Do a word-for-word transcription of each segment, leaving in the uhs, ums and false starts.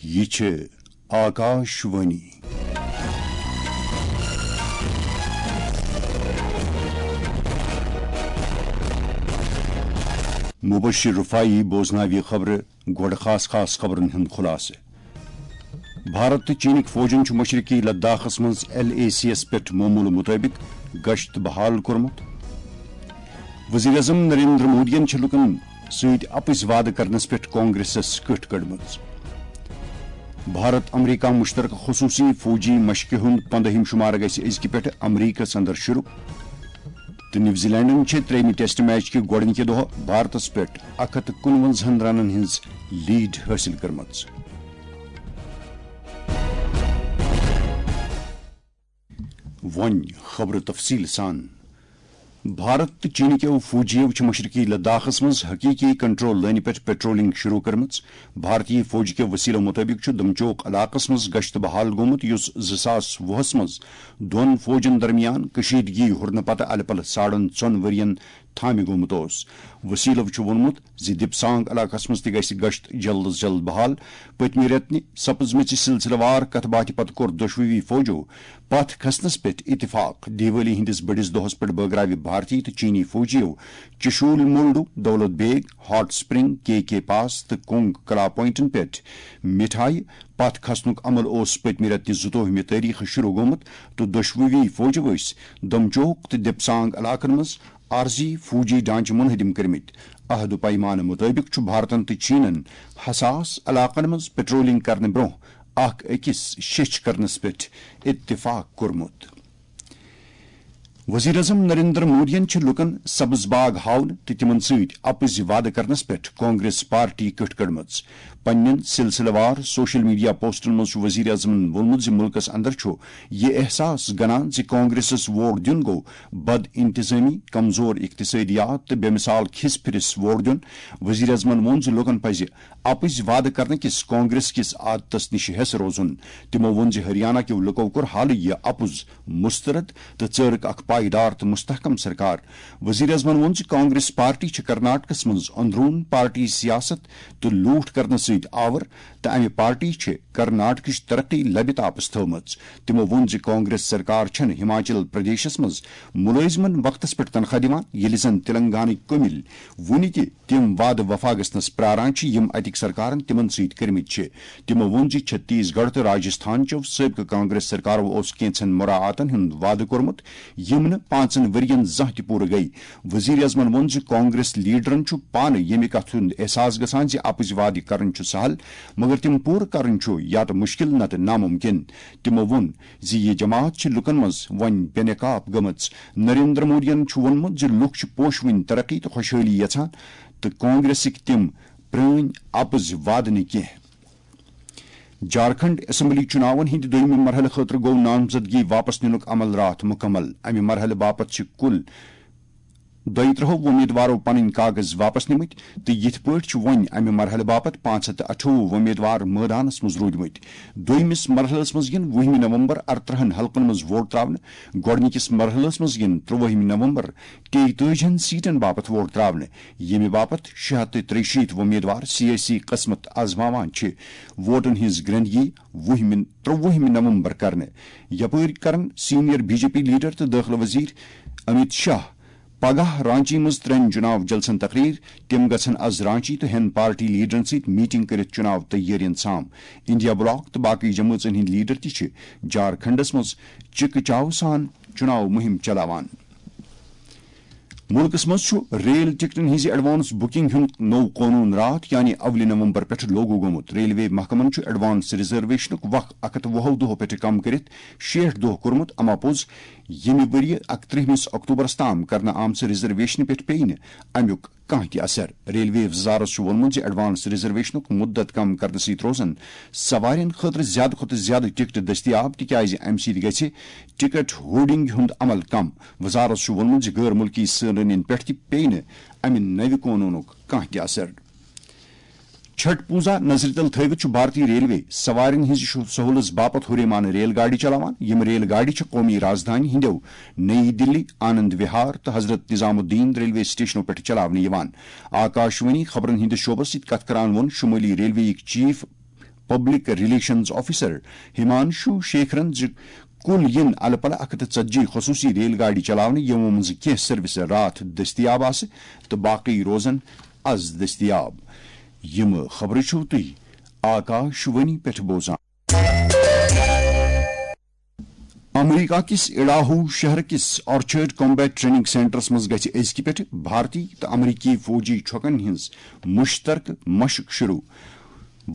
یہِ چھِ آکاش وانی۔ مبشر رفاعی بوزناوِ خبرٕ۔ گۄڈٕ خاص خاص خبرن ہُنٛد خلاصہٕ۔ بھارت تہٕ چینٕکۍ فوجن چھُ مشرقی لداخس منٛز ایل اے سی یَس پٮ۪ٹھ معموٗلہٕ مُطٲبِق گشت بحال کوٚرمُت۔ وزیر اعظم نریندر مودیَن چھِ لوٗکَن سۭتۍ اَپٕزۍ وعدٕ کرنَس پٮ۪ٹھ کانگریسَس کٔٹھ کٔڑمٕژ۔ بھارت امریکہ مشترکہ خصوٗصی فوجی مشقہِ ہُنٛد پندہِم شمارٕ گژھِ أزکہِ پٮ۪ٹھٕ امریکہس اندر شروٗع۔ تہٕ نیوزی لینڈن چھِ ترٛیٚیِمہِ ٹیسٹ میچ کہِ گۄڈٕنِکہِ دۄہ بھارتس پٮ۪ٹھ اکھ ہتھ تہٕ کُنوَنزاہن رنن ہٕنٛز لیڈ حٲصِل کٔرمٕژ۔ وۄنۍ خبرٕ تفصیٖل سان۔ بھارت تہٕ چینٕکیو فوجیو چھِ مشرقی لداخس منٛز حقیقی کنٹرول لٲنہِ پٮ۪ٹھ پیٹرولنگ شروع کٔرمٕژ۔ بھارتی فوج کیو وسیلو مطٲبق چھُ دمچوک علاقس منٛز گشت بحال گوٚمُت، یُس زٕ ساس وُہس منٛز دۄن فوجن درمیان کشیدگی ہُرنہٕ پتہٕ الہٕ پلہٕ ساڑن ژۄن ؤرین تھامہِ گوٚمُت اوس۔ وسیلو چھُ ووٚنمُت زِ دِپسانگ علاقس منٛز تہِ گژھِ گشت جلد از جلد بحال۔ پٔتمہِ رٮ۪تہٕ نہِ سپٕزمٕژِ سلسلہٕ وار کتھ باتھِ پتہٕ کوٚر دۄشوٕنی فوجو پتھ کھسنس پٮ۪ٹھ اتفاق۔ دیوالی ہٕنٛدِس بٔڑِس دۄہس پٮ۪ٹھ بٲگراوِ بھارتی تہٕ چینی فوجیو چشول مولڈو، دولت بیگ، ہاٹ سپرنگ، کے کے پاس تہٕ کونگ کلا پوائنٹن پٮ۪ٹھ مِٹھایہِ۔ پتھ کھسنُک عمل اوس پٔتمہِ رٮ۪تہٕ نہِ زٕتووُہمہِ تٲریخہٕ شروع گوٚمُت تہٕ دۄشوٕنی فوجو ٲسۍ دمچوک تہٕ دِپسانگ علاقن منٛز عارضی فوجی ڈھانچہٕ منہدم کٔرمٕتۍ۔ عہد و پیمانہٕ مُطٲبِق چھُ بھارتن تہٕ چینن حساس علاقن منٛز پیٹرولنگ کرنہٕ برٛونٛہہ اکھ أکِس شیٚچھ کرنس پٮ۪ٹھ اتفاق کوٚرمُت۔ وزیر اعظم نریندر مودیَن چھِ لوٗکَن سبز باغ ہاونہٕ تہٕ تِمَن سۭتۍ اَپٕزۍ وعدٕ کرنَس پٮ۪ٹھ کانگریس پارٹی کٔٹھ کٔڑمٕژ۔ پننٮ۪ن سلسلہٕ وار سوشل میڈیا پوسٹن منٛز چھُ وزیر اعظمَن ووٚنمُت زِ مُلکَس اندر چھُ یہِ احساس گنان زِ کانگریسَس ووٹ دیُن گوٚو بد انتظامی، کمزور اقتصٲدیات تہٕ بے مثال کھِس پھِرِس ووٹ دیُن۔ وزیر اعظمَن ووٚن زِ لوٗکَن پَزِ اَپٕزۍ وعدٕ کرنہٕ کِس کانگریس کِس عادتس نِش ہٮ۪س روزُن۔ تِمو ووٚن زِ ہریانہ کیو لُکو کوٚر حالٕے یہِ اَپُز مسترد تہٕ ژٲرٕکھ اکھ پائیدار تہٕ مستحکم سرکار۔ وزیر اعظمن ووٚن زِ کانگریس پارٹی چھِ کرناٹکس منٛز اندرون پارٹی سیاست تہٕ لوٗٹھ کرنہٕ سۭتۍ آور تہٕ امہِ پارٹی چھِ کرناٹکٕچ ترقی لبہِ تاپس تھٲومٕژ۔ تِمو ووٚن زِ کانگریس سرکار چھَنہٕ ہماچل پردیشس منٛز مُلٲزمن وقتس پٮ۪ٹھ تنخواہ دِوان، ییٚلہِ زن تیلنگانٕکۍ کٔمِلۍ وُنہِ تہِ تِم وعدٕ وفا گژھنس پراران چھِ، یِم اتِکۍ سرکارن تِمن سۭتۍ کٔرمٕتۍ چھِ۔ تِمو ووٚن زِ چھتیس گڑھ تہٕ راجستھان چٮ۪و سٲبقہٕ کانگریس سرکارو اوس کینٛژن مراعاتن ہُنٛد وعدٕ کوٚرمُت، یِم نہٕ پانٛژن ؤرین زانٛہہ تہِ پوٗرٕ گٔیہِ۔ وزیر اعظمن ووٚن زِ کانگریس لیڈرن چھُ پانہٕ ییٚمہِ کتھِ ہُنٛد احساس گژھان زِ اپٕزۍ وعدٕ کرٕنۍ چھُ سہل، مگر تِم پوٗرٕ کرٕنۍ چھُ یا تہٕ مُشکل نتہٕ ناممکن۔ تِمو ووٚن زِ یہِ جماعت چھِ لُکن منٛز وۄنۍ بے نقاب گٔمٕژ۔ نریندر مودیَن چھُ ووٚنمُت زِ لُکھ چھِ پوشوٕنۍ ترقی تہٕ خۄشحٲلی یژھان تہٕ کانگریسٕکۍ تِم پرٲنۍ اپٕزۍ وعدٕ نہٕ کینٛہہ۔ جھارکھنڈ اسمبلی چُناون ہٕنٛدِ دوٚیمہِ مرحلہٕ خٲطرٕ گوٚو نامزدگی واپس نِنُک عمل راتھ مُکمل۔ امہِ مرحلہٕ باپتھ چھِ کُل دۄیہِ ترٕٛہو وۄمیدوارو پنٕنۍ کاغذ واپس نِمٕتۍ تہٕ یِتھ پٲٹھۍ چھِ وۄنۍ امہِ مرحلہٕ باپتھ پانٛژھ ہتھ تہٕ اَٹھووُہ وۄمیدوار مٲدانس منٛز روٗدمٕتۍ۔ دوٚیمِس مرحلس منٛز یِن وُہمہِ نومبر ارترٕٛہن حلقن منٛز ووٹ تراونہٕ۔ گۄڈٕنِکِس مرحلس منٛز یِن ترٛوٲہمہِ نومبر تیٚیہِ تٲجِہن سیٹن باپتھ ووٹ تراونہٕ۔ ییٚمہِ باپتھ شےٚ ہتھ تہٕ ترٛیہِ شیٖتھ وۄمیدوار سیٲسی قسمت آزماوان چھِ۔ ووٹن ہٕنٛز گرنٛدگی وُہمہِ، ترٛوُہمہِ نومبر کرنہٕ۔ یپٲرۍ کرن senior B J P leader تہٕ دٲخلہٕ وزیر امیت شاہ پگاہ رانچی منٛز ترٛٮ۪ن چُناو جلسن تقریر۔ تِم گژھن از رانچی تہٕ ہٮ۪ن پارٹی لیڈرن سۭتۍ میٹنگ کٔرِتھ چُناو تیٲرین سام۔ انڈیا بلاک تہٕ باقی جمٲژن ہٕنٛدۍ لیڈر تہِ چھِ جھارکھنڈس منٛز چِکہٕ چاو سان چُناو مُہِم چلاوان۔ مُلکس منٛز چھُ ریل ٹکٹن ہٕنٛزِ ایڈوانس بُکنگ ہُنٛد نوٚو قونوٗن راتھ، یعنی اولہِ نومبر پٮ۪ٹھٕ لاگو گوٚمُت۔ ریلوے محکمن چھُ ایڈوانس ریزرویشنُک وق اکھ ہتھ وُہو دۄہو پٮ۪ٹھٕ کم کٔرِتھ شیٹھ دۄہ کوٚرمُت۔ اما پوٚز، ییٚمہِ ؤرۍ یہِ اکترٕہمِس اکتوبرس تام کرنہٕ آمژٕ ریزرویشنہِ پٮ۪ٹھ پیٚیہِ نہٕ امیُک کانٛہہ تہِ اثر۔ ریلوے وزارت چھُ ووٚنمُت زِ ایڈوانس ریزرویشنُک مُدت کم کرنہٕ سۭتۍ روزن سوارٮ۪ن خٲطرٕ زیادٕ کھۄتہٕ زیادٕ ٹکٹ دٔستیاب، تِکیازِ امہِ سۭتۍ گژھِ ٹکٹ ہورڈنگ ہُنٛد عمل کم۔ وزارت چھُ ووٚنمُت زِ غٲر مُلکی سٲلٲنین پٮ۪ٹھ تہِ پیٚیہِ نہٕ امہِ نوِ قونوٗنُک کانٛہہ تہِ اثر۔ چھٹ پوٗزا نظرِ تل تھٲوِتھ چھُ بھارتی ریلوے سوارٮ۪ن ہٕنٛزِ شُ-، سہوٗلژ باپتھ ہُریمانہٕ ریل گاڑِ چلاوان۔ یِم ریل گاڑِ چھِ قومی رازدھانی ہٕنٛدیو نئی دِلی، آنند وِہار تہٕ حضرت نظام الدین ریلوے سٹیشنو پٮ۪ٹھ چلاونہٕ یِوان۔ آکاشوانی خبرن ہٕنٛدِس شعبس سۭتۍ کتھ کران ووٚن شُمٲلی ریلوے یِکۍ chief public relations officer Himanshu شیکھرن زِ کُل یِن الہٕ پلہٕ اکھ ہتھ تہٕ ژتجی خصوٗصی ریل گاڑِ چلاونہٕ، یِمو منٛزٕ کینٛہہ سروسہٕ راتھ دٔستیاب آسہٕ تہٕ باقٕے روزن از دٔستیاب۔ یِم خبرٕ چھِو تُہۍ آکاش وانی پٮ۪ٹھ بوزان۔ امریکہ کِس اڈاہو شہر کِس آرچرڈ کامبیٹ ٹریننگ سینٹرس منٛز گژھِ أزکہِ پٮ۪ٹھ بھارتی تہٕ امریکی فوجی چھۄکن ہٕنٛز مشترکہٕ مشق شروع۔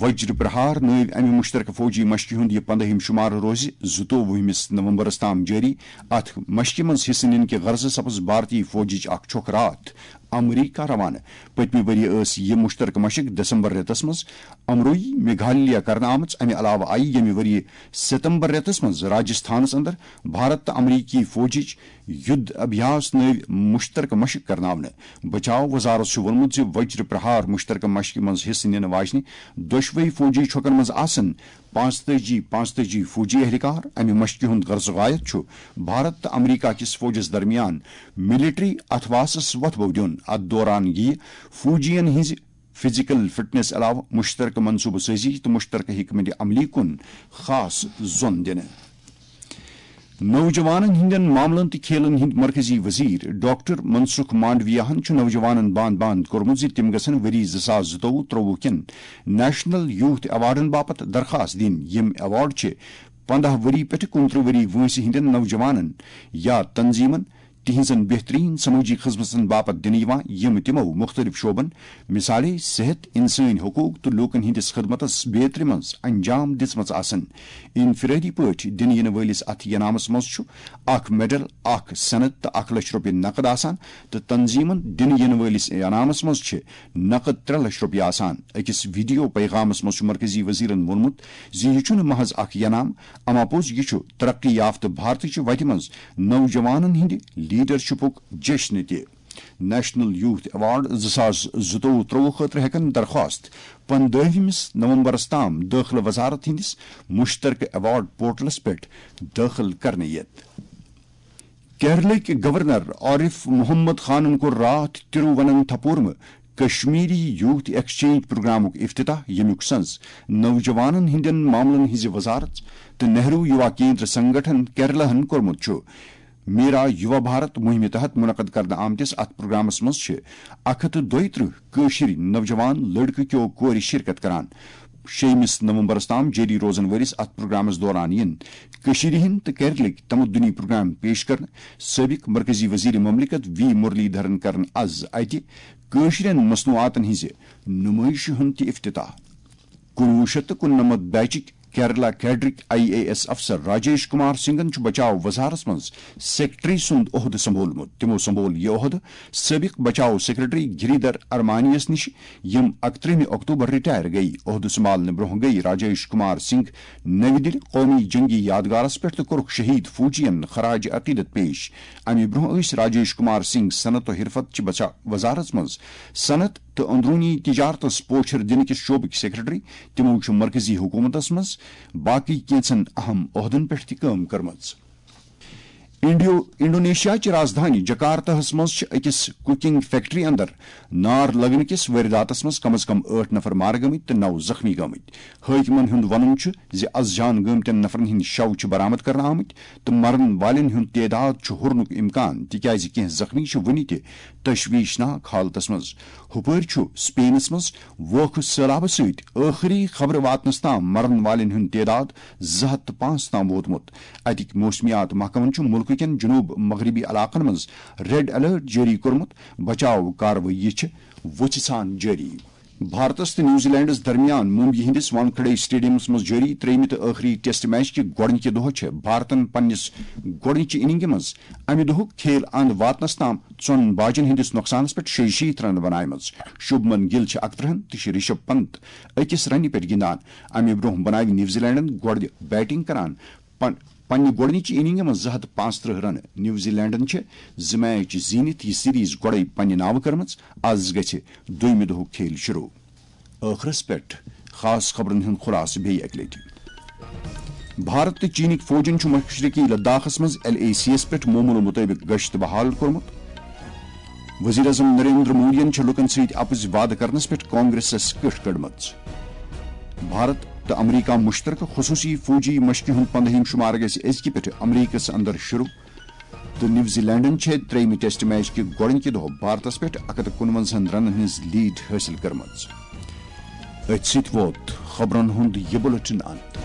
وجر پرہار نٲوۍ امہِ مشترکہٕ فوجی مشقہِ ہُنٛد یہِ پندہِم شمارٕ روزِ زٕتووُہمِس نومبرس تام جٲری۔ اتھ مشقہِ منٛز حصہٕ نِنہٕ کہِ غرضہٕ سپز بھارتی فوجٕچ اکھ چھۄکھ راتھ امریکہ روانہٕ۔ پٔتمہِ ؤریہِ ٲس یہِ مشترکہٕ مشق دسمبر رٮ۪تس منٛز امروئی، میگھالیہ کرنہٕ آمٕژ۔ امہِ علاوٕ آیہِ ییٚمہِ ؤریہِ ستمبر رٮ۪تس منٛز راجستھانس اندر بھارت تہٕ امریکی فوجٕچ یُدھ ابھیاس نٲوۍ مشترکہٕ مشق کرناونہٕ۔ بچاو وزارت چھُ ووٚنمُت زِ وجر پرہار مشترکہٕ مشقہِ منٛز حصہٕ نِنہٕ واجنہِ دۄشوے فوجی چھۄکن منٛز آسن پانٛژتٲجی، پانٛژتٲجی فوجی اہلکار۔ امہِ مشقہِ ہُنٛد غرض و غایت چھُ بھارت تہٕ امریکہ کِس فوجس درمیان ملٹری اتھواسس وۄتھٕ بو دیُن۔ اتھ دوران یِیہِ فوجین ہٕنٛزِ فزیکل فٹنس علاوٕ مشترکہٕ منصوبہٕ سٲزی تہٕ مشترکہٕ حکمت عملی کُن خاص زون دِنہٕ۔ نوجوانن ہٕنٛدٮ۪ن معاملن تہٕ کھیلن ہٕنٛدۍ مرکزی وزیر ڈاکٹر منسکھ مانڈویاہن چھُ نوجوانن باند باند کوٚرمُت زِ تِم گژھن ؤری زٕ ساس زٕتووُہ ترٛووُہ کٮ۪ن نیشنل یوتھ ایوارڈن باپتھ درخواست دِنۍ۔ یِم ایوارڈ چھِ پنداہ ؤری پٮ۪ٹھٕ کُنترٕہ ؤری وٲنٛسہِ ہٕنٛدٮ۪ن نوجوانن یا تنظیمن تِہنٛزن بہترین سمٲجی خدمژن باپتھ دِنہٕ یِوان، یِم تِمو مُختٔلِف شعبن، مثالے صحت، انسٲنی حقوق تہٕ لوٗکن ہٕنٛدِس خدمتس بیترِ منٛز انجام دِژمٕژ آسن۔ انفرٲدی پٲٹھۍ دِنہٕ یِنہٕ وٲلِس اتھ انعامس منٛز چھُ اکھ میڈل، اکھ سند تہٕ اکھ لچھ رۄپیہِ نقد آسان، تہٕ تنظیمن دِنہٕ یِنہٕ وٲلِس انعامس منٛز چھِ نقد ترٛےٚ لچھ رۄپیہِ آسان۔ أکِس ویڈیو پیغامس منٛز چھُ مرکزی وزیرن ووٚنمُت زِ یہِ چھُنہٕ محض اکھ انعام، اما پوٚز یہِ چھُ ترقی یافتہٕ بھارتٕچہِ وتہِ منٛز نوجوانن ہٕنٛدِ لیڈرشپُک جشن تہِ۔ نیشنل یوتھ ایوارڈ زٕ ساس زٕتووُہ ترٛووُہ خٲطرٕ ہٮ۪کن درخواست پندٲہمِس نومبرس تام دٲخلہٕ وزارت ہٕنٛدِس مشترکہٕ ایوارڈ پورٹلس پٮ۪ٹھ دٲخل کرنہٕ یِتھ۔ کیرلٕکۍ گورنر عارف محمد خانن کوٚر راتھ ترووننتھاپورمہٕ کشمیری یوتھ ایکسچینج پروگرامُک افتتاح، ییٚمیُک سنز نوجوانن ہٕنٛدٮ۪ن معاملن ہٕنٛزِ وزارت تہٕ نہرو یوا کیندر سنگٹھن کیرلہن کوٚرمُت چھُ۔ میرا یوا بھارت مہمہِ تحت منعقد کرنہٕ آمتِس اتھ پروگرامس منٛز چھِ اکھ ہتھ تہٕ دۄیہِ ترٕٛہ کٲشِرۍ نوجوان لڑکہٕ کیو کورِ شرکت کران۔ شیٚیمِس نومبرس تام جٲری روزن وٲلِس اتھ پروگرامس دوران یِن کٔشیٖرِ ہٕنٛدۍ تہٕ کیرلٕکۍ تمدنی پروگرام پیش کرنہٕ۔ سٲبق مرکزی وزیر مملکت وی مرلی دھرن کرن از اتہِ کٲشرٮ۪ن مصنوعاتن ہٕنٛزِ نمٲیشہِ ہُنٛد تہِ افتتاح۔ کُنوُہ شیٚتھ تہٕ کُننمتھ بیچٕکۍ کیرلا کیڈرٕکۍ آئی اے ایس افسر راجیش کمار سنگھن چھُ بچاو وزارتس منٛز سیکرٹری سُنٛد عہدٕ سنبھولمُت۔ تِمو سنبھول یہِ عہدٕ سٲبق بچاو سیکرٹری گریدر ارمانیس نِش، یِم اکترٕہمہِ اکتوبر رٹائر گٔیہِ۔ عہدٕ سنبھالنہٕ برونٛہہ گٔیہِ راجیش کمار سنگھ نَوِ دِلہِ قومی جنگی یادگارس پٮ۪ٹھ تہٕ کوٚرُکھ شہید فوجین خراج عقیدت پیش۔ امہِ برونٛہہ ٲسۍ راجیش کمار سنگھ صنعت و حرفت چہِ بچا-، وزارتس منٛز صنعت تہٕ اندرونی تجارتس پوچھر دِنہٕ کِس شعبٕکۍ سیکرٹری۔ تِمو چھُ مرکزی حکومتس منٛز باقی کینٛژن اہم عہدن پٮ۪ٹھ تہِ کٲم کٔرمٕژ۔ انڈیو-، انڈونیشیا چہِ رازدھانی جکارتاہس منٛز چھِ أکِس کوکنگ فیکٹری اندر نار لگنہٕ کِس وٲرۍداتس منٛز کم از کم ٲٹھ نفر مارٕ گٔمٕتۍ تہٕ نَو زخمی گٔمٕتۍ۔ حٲکمن ہُنٛد وَنُن چھُ زِ از جان گٲمتٮ۪ن نفرن ہٕنٛدۍ شَو چھِ برآمد کرنہٕ آمٕتۍ تہٕ مرن والٮ۪ن ہُنٛد تعداد چھُ ہُرنُک امکان، تِکیازِ کینٛہہ زخمی چھِ وُنہِ تہِ تشویشناک حالتس منٛز۔ ہُپٲرۍ چھُ سپینس منٛز ووکھٕ سٔہلابہٕ سۭتۍ ٲخری خبرٕ واتنس تام مرن والٮ۪ن ہُنٛد تعداد زٕ ہتھ تہٕ پانٛژھ تام ووتمُت۔ اتِکۍ موسمیات محکمن چھُ مُلکہٕ کٮ۪ن جنوب مغربی علاقن منٛز ریڈ الرٹ جٲری کوٚرمُت۔ بچاو کاروٲیی چھِ وُژھِ ژھان جٲری۔ بھارتس تہٕ نیوزی لینڈس درمیان ممبئی ہٕنٛدِس وانکھڑے اسٹیڈیمس منٛز جٲری ترٛیٚیِمہِ تہٕ ٲخری ٹیسٹ میچ کہِ گۄڈٕنِکہِ دۄہ چھِ بھارتن پننِس گۄڈٕنِچہِ اننگہِ منٛز امہِ دۄہُک کھیل اند واتنس تام ژۄن باجن ہٕنٛدِس نۄقصانس پٮ۪ٹھ شیٚیہِ شیٖتھ رنہٕ بناومٕژ۔ شُبمن گِل چھِ اکترٕہن تہٕ چھِ رشب پنت أکِس رنہِ پٮ۪ٹھ گِنٛدان۔ امہِ برونٛہہ بناوِ نیوزی لینڈن گۄڈٕ بیٹنگ کران پن-، پننہِ گۄڈٕنِچہِ اننگہِ منٛز زٕ ہتھ پانٛژترٕہ رنہٕ۔ نیوزی لینڈن چھِ زٕ میچ زیٖنِتھ یہِ سیریز گۄڈے پننہِ ناوٕ کٔرمٕژ۔ از گژھِ دوٚیمہِ دۄہُک کھیل شروع۔ ٲخرس پٮ۪ٹھ خاص خبرن ہُنٛد خلاصہٕ بیٚیہِ اکہِ لٹہِ۔ بھارت تہٕ چینٕکۍ فوجن چھُ مشرقی لداخس منٛز ایل اے سی یَس پٮ۪ٹھ معمولہٕ مُطٲبِق گشت بحال کوٚرمُت۔ وزیر اعظم نریندر مودیَن چھِ لوٗکَن سۭتۍ اَپُز وعدٕ کرنَس پٮ۪ٹھ کانگریسَس کٕٹھ کٔڑمٕژ۔ بھارت تہٕ امریکہ مشترکہ خصوصی فوجی مشقہِ ہُنٛد پندہِم شمارٕ گژھِ أزکہِ پٮ۪ٹھٕ امریکس اندر شروع۔ تہٕ نیوزی لینڈن چھِ ترٛیٚیمہِ ٹیسٹ میچ کہِ گۄڈٕنکہِ دۄہ بھارتس پٮ۪ٹھ اَکھ ہَتھ تہٕ کُنوَنزاہن رنن ہٕنٛز لیڈ حٲصِل کٔرمٕژ۔ أتھۍ سۭتۍ ووت خبرن ہُنٛد یہِ بُلٹن انت۔